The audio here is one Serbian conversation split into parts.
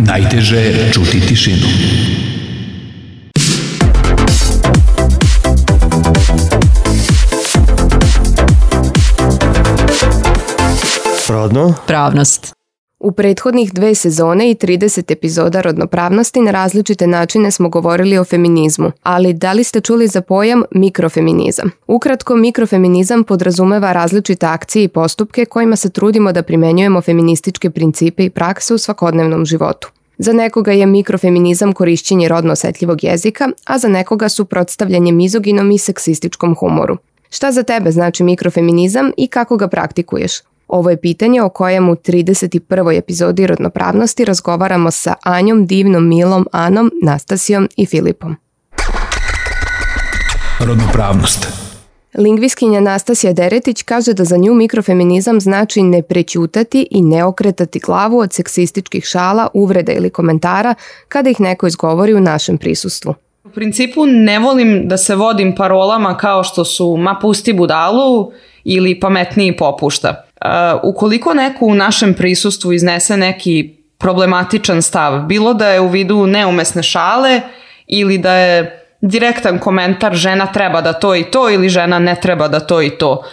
Najteže je čuti tišinu. Rodno? Pravnost. U prethodnih 2 sezone i 30 epizoda rodnopravnosti na različite načine smo govorili o feminizmu, ali da li ste čuli za pojam mikrofeminizam? Ukratko, mikrofeminizam podrazumeva različite akcije i postupke kojima se trudimo da primenjujemo feminističke principe i prakse u svakodnevnom životu. Za nekoga je mikrofeminizam korišćenje rodno osetljivog jezika, a za nekoga suprotstavljanje mizoginom i seksističkom humoru. Šta za tebe znači mikrofeminizam i kako ga praktikuješ? Ovo je pitanje o kojem u 31. epizodi rodnopravnosti razgovaramo sa Anjom, Divnom, Milom, Anom, Nastasijom i Filipom. Rodnopravnost. Lingvistkinja Nastasija Deretić kaže da za nju mikrofeminizam znači ne prećutati i ne okretati glavu od seksističkih šala, uvreda ili komentara kada ih neko izgovori u našem prisustvu. U principu ne volim da se vodim parolama kao što su ma pusti budalu ili pametniji popušta. Ukoliko neko u našem prisustvu iznese neki problematičan stav, bilo da je u vidu neumesne šale ili da je direktan komentar žena treba da to i to ili žena ne treba da to i to.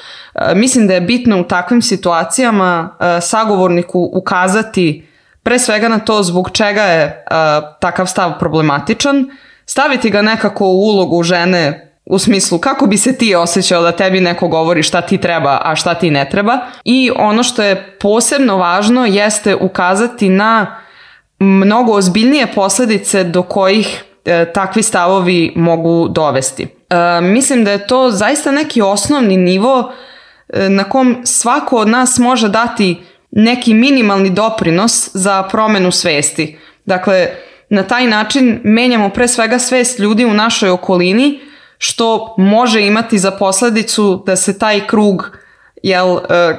Mislim da je bitno u takvim situacijama sagovorniku ukazati pre svega na to zbog čega je takav stav problematičan, staviti ga nekako u ulogu žene u smislu kako bi se ti osjećao da tebi neko govori šta ti treba, a šta ti ne treba. I ono što je posebno važno jeste ukazati na mnogo ozbiljnije posledice do kojih takvi stavovi mogu dovesti. Mislim da je to zaista neki osnovni nivo na kom svako od nas može dati neki minimalni doprinos za promenu svesti. Dakle, na taj način menjamo pre svega svest ljudi u našoj okolini, što može imati za posledicu da se taj krug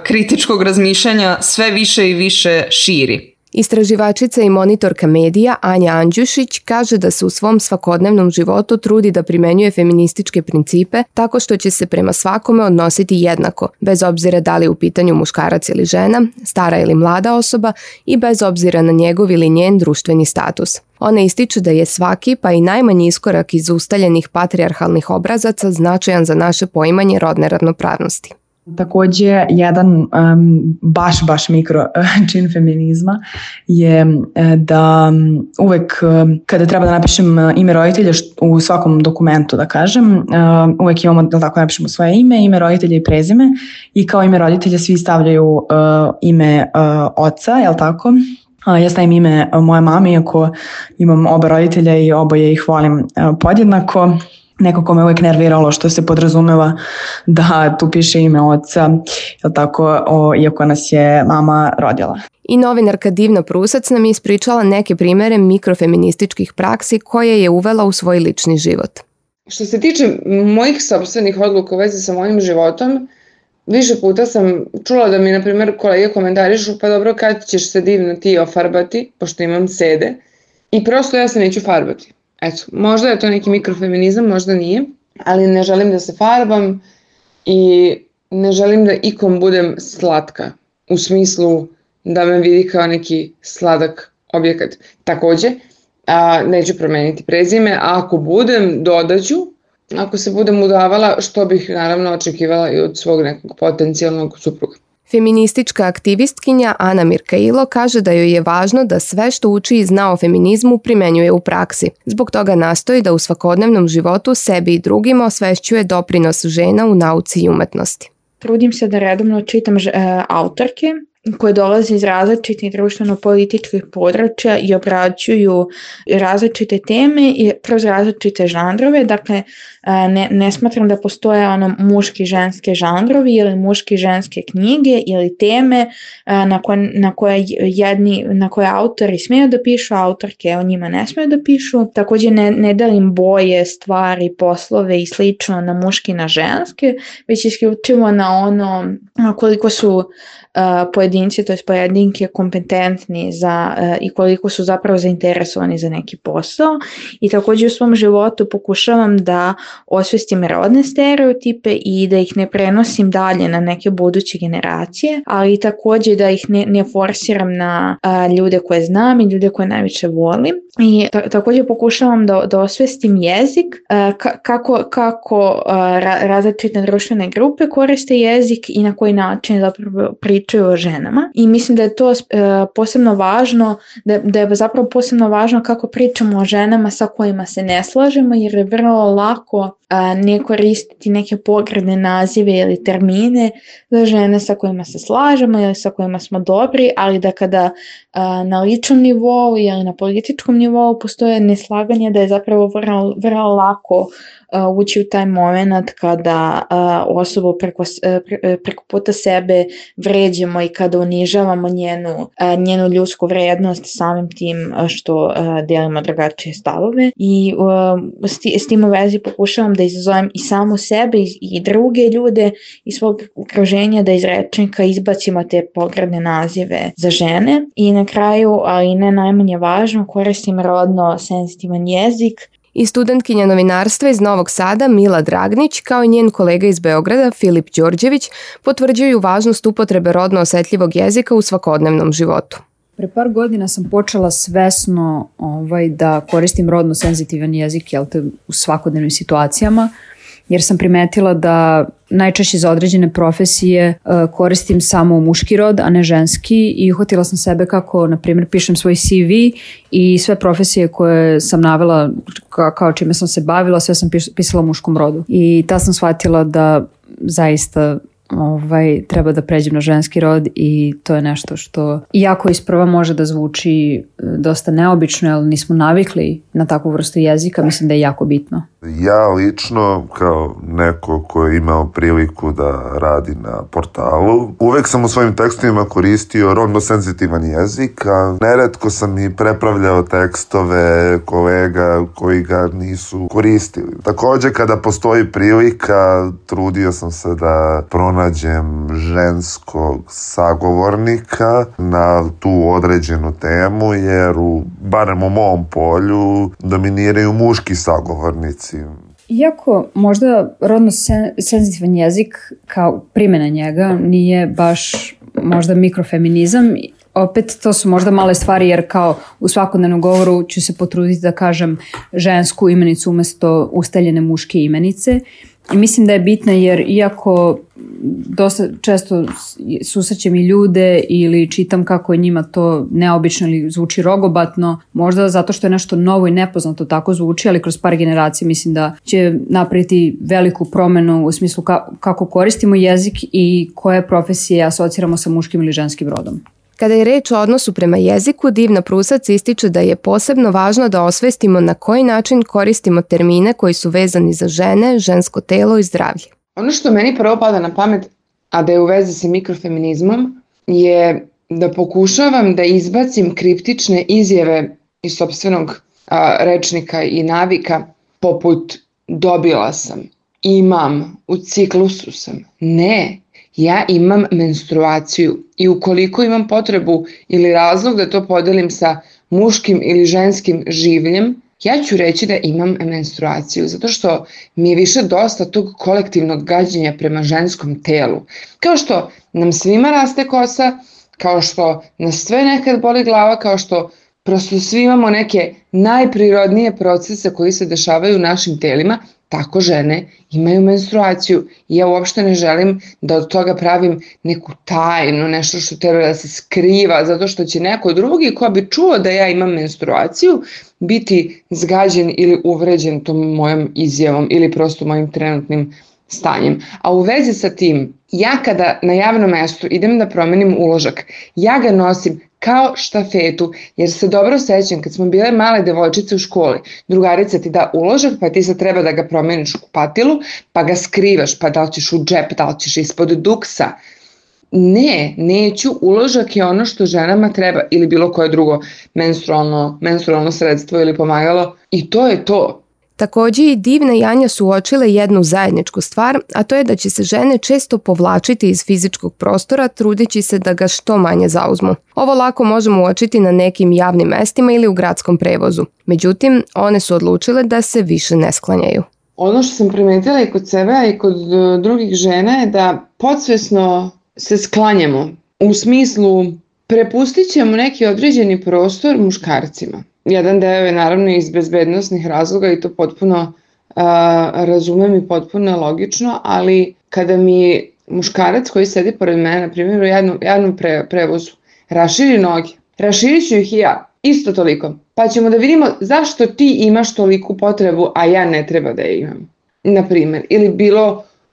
kritičkog razmišljanja sve više i više širi. Istraživačica i monitorka medija Anja Andjušić kaže da se u svom svakodnevnom životu trudi da primenjuje feminističke principe tako što će se prema svakome odnositi jednako, bez obzira da li je u pitanju muškarac ili žena, stara ili mlada osoba i bez obzira na njegov ili njen društveni status. Ona ističe da je svaki, pa i najmanji iskorak iz ustaljenih patrijarhalnih obrazaca značajan za naše poimanje rodne ravnopravnosti. Takođe, jedan baš mikro čin feminizma je da uvek kada treba da napišem ime roditelja u svakom dokumentu, da kažem, uvek imamo da tako napišemo svoje ime roditelja i prezime i kao ime roditelja svi stavljaju ime oca, jel tako? Ja stavim ime moje mame, iako imam oba roditelja i oboje ih volim podjednako. Nekako me uvijek nerviralo što se podrazumeva da tu piše ime oca, jel tako, iako nas je mama rodila. I novinarka Divna Prusac nam je ispričala neke primere mikrofeminističkih praksi koje je uvela u svoj lični život. Što se tiče mojih sopstvenih odluka u vezi sa mojim životom, više puta sam čula da mi, na primjer, kolege komentarišu, pa dobro, kad ćeš se Divna ti ofarbati, pošto imam sede, i prosto ja se neću farbati. Eto, možda je to neki mikrofeminizam, možda nije, ali ne želim da se farbam i ne želim da ikom budem slatka, u smislu da me vidi kao neki sladak objekat. Takođe, neću promeniti prezime, a ako budem, dodaću, ako se budem udavala, što bih naravno očekivala i od svog nekog potencijalnog supruga. Feministička aktivistkinja Ana Mirkailo kaže da joj je važno da sve što uči i zna o feminizmu primenjuje u praksi. Zbog toga nastoji da u svakodnevnom životu sebi i drugima osvešćuje doprinos žena u nauci i umetnosti. Trudim se da redovno čitam autorke koje dolaze iz različitih društveno-političkih područja i obrađuju različite teme i kroz različite žanrove. Dakle, ne smatram da postoje muški ženske žanrovi ili muški ženske knjige ili teme na koje autori smeju da pišu, autorke o njima ne smeju da pišu. Također ne delim boje, stvari, poslove i slično na muški i na ženske, već isključivo na ono koliko su pojedinci, to je pojedinke kompetentni i koliko su zapravo zainteresovani za neki posao. I također u svom životu pokušavam da osvestim rodne stereotipe i da ih ne prenosim dalje na neke buduće generacije, ali također da ih ne forsiram na ljude koje znam i ljude koje najviše volim. I također pokušavam da osvestim jezik, kako različite društvene grupe koriste jezik i na koji način zapravo pričaju o ženama. I mislim da je to posebno važno, da je zapravo posebno važno kako pričamo o ženama sa kojima se ne slažemo, jer je vrlo lako ne koristiti neke pogrdne nazive ili termine za žene sa kojima se slažemo ili sa kojima smo dobri, ali da kada na ličnom nivou ili na političkom nivou postoje neslaganje, da je zapravo vrlo lako ući u taj moment kada osobu preko puta sebe vređamo i kada unižavamo njenu ljudsku vrednost samim tim što delimo drugačije stavove. I s tim u vezi pokušavam da izazovem i samu sebe i druge ljude iz svog okruženja da iz rečnika izbacimo te pogrdne nazive za žene. I na kraju, ali ne najmanje važno, koristim rodno senzitivan jezik. I studentkinja novinarstva iz Novog Sada Mila Dragnić kao i njen kolega iz Beograda Filip Đorđević potvrđuju važnost upotrebe rodno osetljivog jezika u svakodnevnom životu. Pre par godina sam počela svesno da koristim rodno senzitivan jezik u svakodnevnim situacijama, jer sam primetila da najčešće za određene profesije koristim samo muški rod, a ne ženski, i uhvatila sam sebe kako, na primjer, pišem svoj CV i sve profesije koje sam navela kao čime sam se bavila, sve sam pisala u muškom rodu. I tad sam shvatila da zaista treba da pređem na ženski rod, i to je nešto što iako isprva može da zvuči dosta neobično, ali nismo navikli na takvu vrstu jezika, mislim da je jako bitno. Ja lično, kao neko ko je imao priliku da radi na portalu, uvek sam u svojim tekstovima koristio rodno senzitivan jezik, a neretko sam i prepravljao tekstove kolega koji ga nisu koristili. Također, kada postoji prilika, trudio sam se da pronađem ženskog sagovornika na tu određenu temu, jer barem u mom polju dominiraju muški sagovornici. Iako možda rodno senzitivan jezik kao primjena njega nije baš možda mikrofeminizam, opet to su možda male stvari, jer kao u svakodnevnom govoru ću se potruditi da kažem žensku imenicu umjesto ustaljene muške imenice. I mislim da je bitna, jer iako dosta često susrećem i ljude ili čitam kako je njima to neobično ili zvuči rogobatno, možda zato što je nešto novo i nepoznato tako zvuči, ali kroz par generacija mislim da će napraviti veliku promjenu u smislu kako koristimo jezik i koje profesije asociramo sa muškim ili ženskim rodom. Kada je reč o odnosu prema jeziku, Divna Prusac ističe da je posebno važno da osvestimo na koji način koristimo termine koji su vezani za žene, žensko telo i zdravlje. Ono što meni prvo pada na pamet, a da je u vezi sa mikrofeminizmom, je da pokušavam da izbacim kriptične izjave iz sopstvenog rečnika i navika, poput dobila sam, imam, u ciklusu sam. Ne, ja imam menstruaciju i ukoliko imam potrebu ili razlog da to podelim sa muškim ili ženskim življem, ja ću reći da imam menstruaciju, zato što mi je više dosta tog kolektivnog gađenja prema ženskom telu. Kao što nam svima raste kosa, kao što nas sve nekad boli glava, kao što prosto svi imamo neke najprirodnije procese koji se dešavaju u našim telima, tako žene imaju menstruaciju. I ja uopšte ne želim da od toga pravim neku tajnu, nešto što treba da se skriva, zato što će neko drugi ko bi čuo da ja imam menstruaciju biti zgađen ili uvređen tom mojom izjavom ili prosto mojim trenutnim stanjem. A u vezi sa tim, ja kada na javnom mestu idem da promenim uložak, ja ga nosim kao štafetu, jer se dobro sećam kad smo bile male devojčice u školi, drugarica ti da uložak, pa ti sad treba da ga promeniš u kupatilu, pa ga skrivaš, pa da li ćeš u džep, da li ćeš ispod duksa. Ne, neću, uložak je ono što ženama treba, ili bilo koje drugo menstrualno sredstvo ili pomagalo, i to je to. Takođe i Divna i Anja su uočile jednu zajedničku stvar, a to je da će se žene često povlačiti iz fizičkog prostora trudeći se da ga što manje zauzmu. Ovo lako možemo uočiti na nekim javnim mestima ili u gradskom prevozu. Međutim, one su odlučile da se više ne sklanjaju. Ono što sam primetila i kod sebe, a i kod drugih žena je da podsvesno se sklanjamo. U smislu, prepustit ćemo neki određeni prostor muškarcima. Jedan deo je naravno iz bezbednosnih razloga i to potpuno razumem i potpuno logično, ali kada mi muškarac koji sedi pored mene, na primjer u javnom prevozu, raširi noge, raširit ću ih i ja, isto toliko. Pa ćemo da vidimo zašto ti imaš toliku potrebu, a ja ne treba da je imam. Na primjer, ili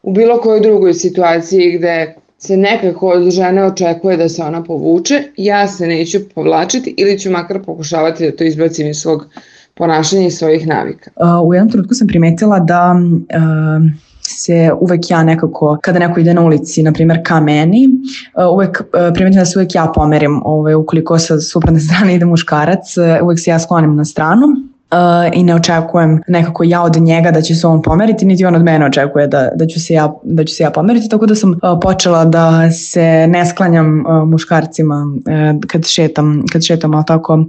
u bilo kojoj drugoj situaciji gde se nekako od žene očekuje da se ona povuče, ja se neću povlačiti ili ću makar pokušavati da to izbacim iz svog ponašanja i svojih navika. U jednom trenutku sam primetila da se uvek ja nekako, kada neko ide na ulici, na primjer ka meni, uvek primetim da se uvek ja pomerim, ukoliko sa suprotne strane ide muškarac, uvek se ja sklonim na stranu i ne očekujem nekako ja od njega da će se on pomeriti, niti on od mene očekuje da ću se ja pomeriti, tako da sam počela da se ne sklanjam muškarcima kad šetam tako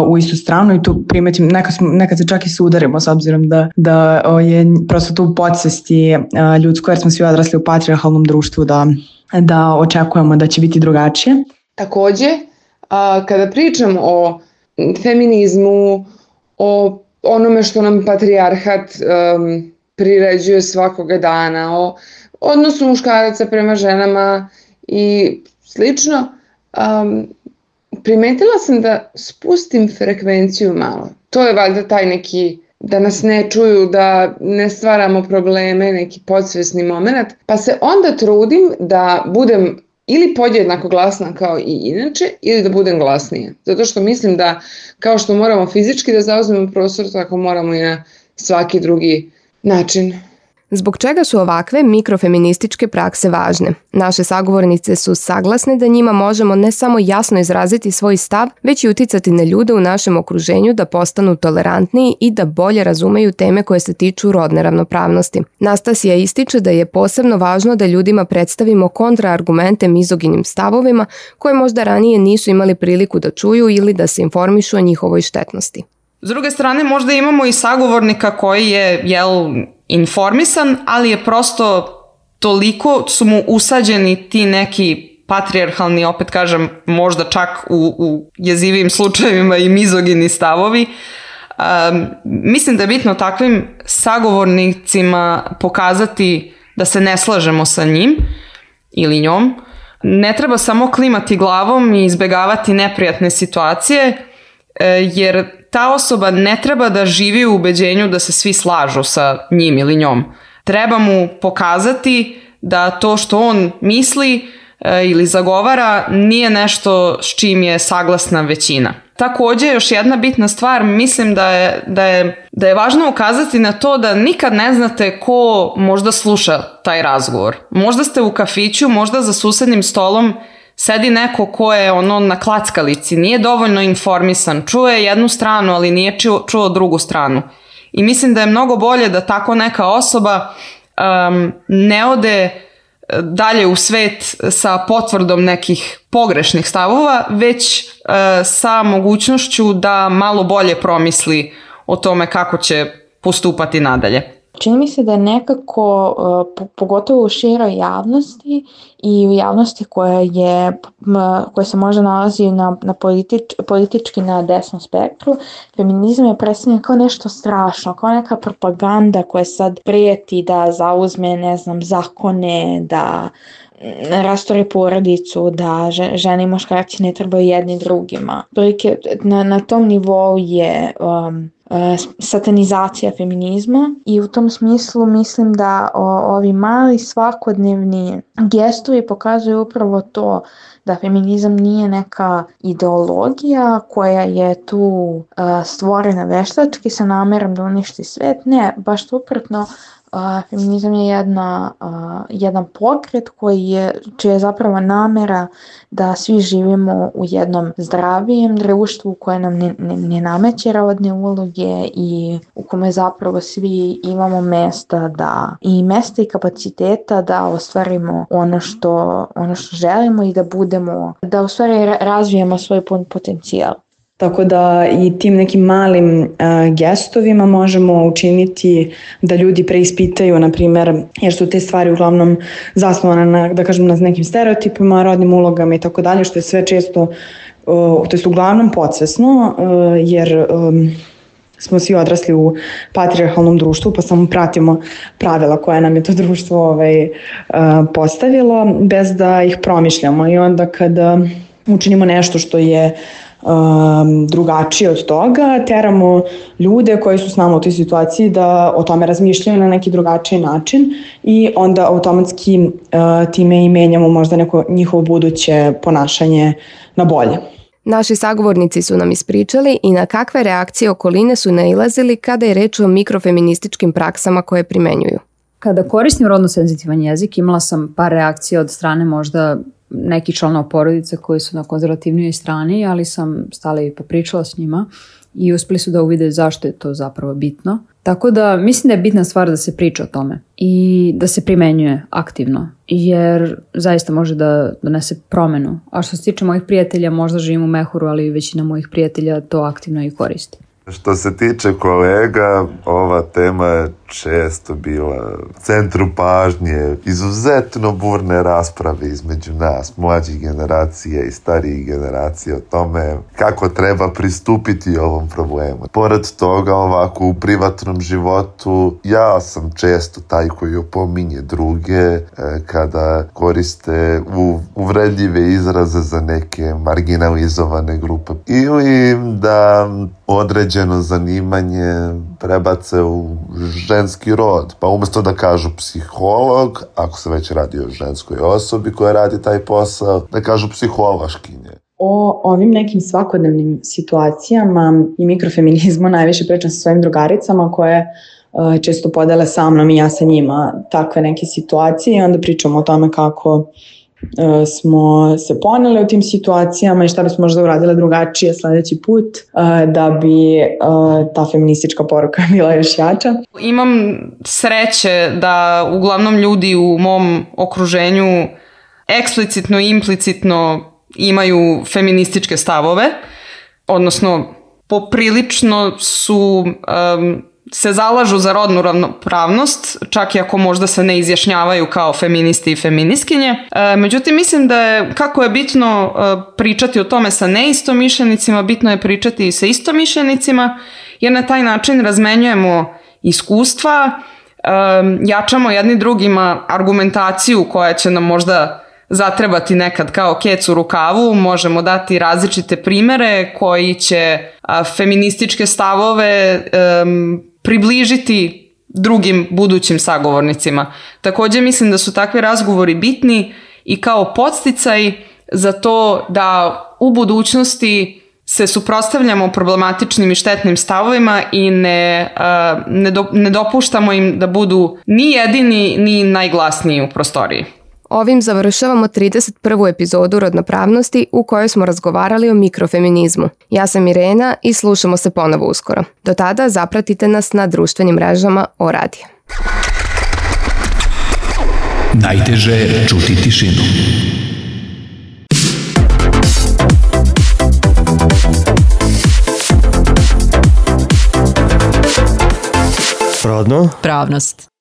u istu stranu i tu primetim, nekad se čak i sudarimo s obzirom da je prosto tu u podsvesti ljudsko, jer smo svi odrasli u patrijarhalnom društvu da očekujemo da će biti drugačije. Takođe, kada pričam o feminizmu, o onome što nam patrijarhat priređuje svakoga dana, o odnosu muškaraca prema ženama i slično, primetila sam da spustim frekvenciju malo. To je valjda taj neki, da nas ne čuju, da ne stvaramo probleme, neki podsvesni moment, pa se onda trudim da budem ili podjednako glasna kao i inače, ili da budem glasnija. Zato što mislim da kao što moramo fizički da zauzmemo prostor, tako moramo i na svaki drugi način. Zbog čega su ovakve mikrofeminističke prakse važne? Naše sagovornice su saglasne da njima možemo ne samo jasno izraziti svoj stav, već i uticati na ljude u našem okruženju da postanu tolerantniji i da bolje razumeju teme koje se tiču rodne ravnopravnosti. Nastasija ističe da je posebno važno da ljudima predstavimo kontraargumente mizoginim stavovima koje možda ranije nisu imali priliku da čuju ili da se informišu o njihovoj štetnosti. S druge strane, možda imamo i sagovornika koji je, informisan, ali je prosto toliko su mu usađeni ti neki patrijarhalni, opet kažem, možda čak u jezivim slučajevima i mizogini stavovi. Mislim da je bitno takvim sagovornicima pokazati da se ne slažemo sa njim ili njom. Ne treba samo klimati glavom i izbegavati neprijatne situacije, jer ta osoba ne treba da živi u ubeđenju da se svi slažu sa njim ili njom. Treba mu pokazati da to što on misli ili zagovara nije nešto s čim je saglasna većina. Takođe, još jedna bitna stvar, mislim da je važno ukazati na to da nikad ne znate ko možda sluša taj razgovor. Možda ste u kafiću, možda za susednim stolom sedi neko ko je na klackalici, nije dovoljno informisan, čuje jednu stranu, ali nije čuo drugu stranu. I mislim da je mnogo bolje da tako neka osoba ne ode dalje u svet sa potvrdom nekih pogrešnih stavova, već sa mogućnošću da malo bolje promisli o tome kako će postupati nadalje. Čini mi se da nekako, pogotovo u široj javnosti i u javnosti koja se možda nalazi politički na desnom spektru, feminizam je predstavljen kao nešto strašno, kao neka propaganda koja sad prijeti da zauzme, zakone, da rastori porodicu, da žene i muškarci ne trebaju jedni drugima. Na tom nivou je satanizacija feminizma i u tom smislu mislim da ovi mali svakodnevni gestovi pokazuju upravo to da feminizam nije neka ideologija koja je tu stvorena veštački sa namerom da uništi svet. Ne, baš suprotno, feminizam je jedan pokret čija je zapravo namera da svi živimo u jednom zdravijem društvu koje nam ne nameće rodne uloge i u kome zapravo svi imamo mesta i kapaciteta da ostvarimo ono što želimo i da u stvari razvijemo svoj potencijal. Tako da i tim nekim malim gestovima možemo učiniti da ljudi preispitaju, na primjer, jer su te stvari uglavnom zasnovane na nekim stereotipima, rodnim ulogama i tako dalje, što je sve često, to je uglavnom podsvesno, jer smo svi odrasli u patrijarhalnom društvu, pa samo pratimo pravila koje nam je to društvo postavilo, bez da ih promišljamo. I onda kada učinimo nešto što je drugačije od toga, teramo ljude koji su s nama u toj situaciji da o tome razmišljaju na neki drugačiji način i onda automatski time i menjamo možda neko njihovo buduće ponašanje na bolje. Naši sagovornici su nam ispričali i na kakve reakcije okoline su nailazili kada je reč o mikrofeminističkim praksama koje primenjuju. Kada koristim rodno senzitivan jezik, imala sam par reakcija od strane možda nekih članova porodice koji su na konzervativnijoj strani, ali sam stala i popričala s njima i uspeli su da uvide zašto je to zapravo bitno. Tako da mislim da je bitna stvar da se priča o tome i da se primenjuje aktivno, jer zaista može da donese promenu. A što se tiče mojih prijatelja, možda živim u mehuru, ali većina mojih prijatelja to aktivno i koristi. Što se tiče kolega, ova tema je često bila u centru pažnje, izuzetno burne rasprave između nas, mlađih generacija i starijih generacija o tome kako treba pristupiti ovom problemu. Pored toga, ovako u privatnom životu, ja sam često taj koji opominje druge kada koriste uvredljive izraze za neke marginalizovane grupe ili da određeno zanimanje prebace u ženski rod, pa umjesto da kažu psiholog, ako se već radi o ženskoj osobi koja radi taj posao, da kažu psihološkinje. O ovim nekim svakodnevnim situacijama i mikrofeminizmu najviše pričam sa svojim drugaricama koje često podele sa mnom i ja sa njima takve neke situacije i onda pričamo o tome kako smo se poneli u tim situacijama i šta bismo možda uradile drugačije sledeći put da bi ta feministička poruka bila još jača. Imam sreće da uglavnom ljudi u mom okruženju eksplicitno i implicitno imaju feminističke stavove, odnosno poprilično su se zalažu za rodnu ravnopravnost, čak i ako možda se ne izjašnjavaju kao feministi i feministkinje. Međutim, mislim da je, kako je bitno pričati o tome sa neistomišljenicima, bitno je pričati i sa istomišljenicima, jer na taj način razmenjujemo iskustva, jačamo jedni drugima argumentaciju koja će nam možda zatrebati nekad kao kec u rukavu, možemo dati različite primere koji će feminističke stavove približiti drugim budućim sagovornicima. Također mislim da su takvi razgovori bitni i kao podsticaj za to da u budućnosti se suprotstavljamo problematičnim i štetnim stavovima i ne dopuštamo im da budu ni jedini ni najglasniji u prostoriji. Ovim završavamo 31. epizodu Rodnopravnosti u kojoj smo razgovarali o mikrofeminizmu. Ja sam Irena i slušamo se ponovo uskoro. Do tada zapratite nas na društvenim mrežama O-radija. Najteže je čuti tišinu. Rodno. Pravnost.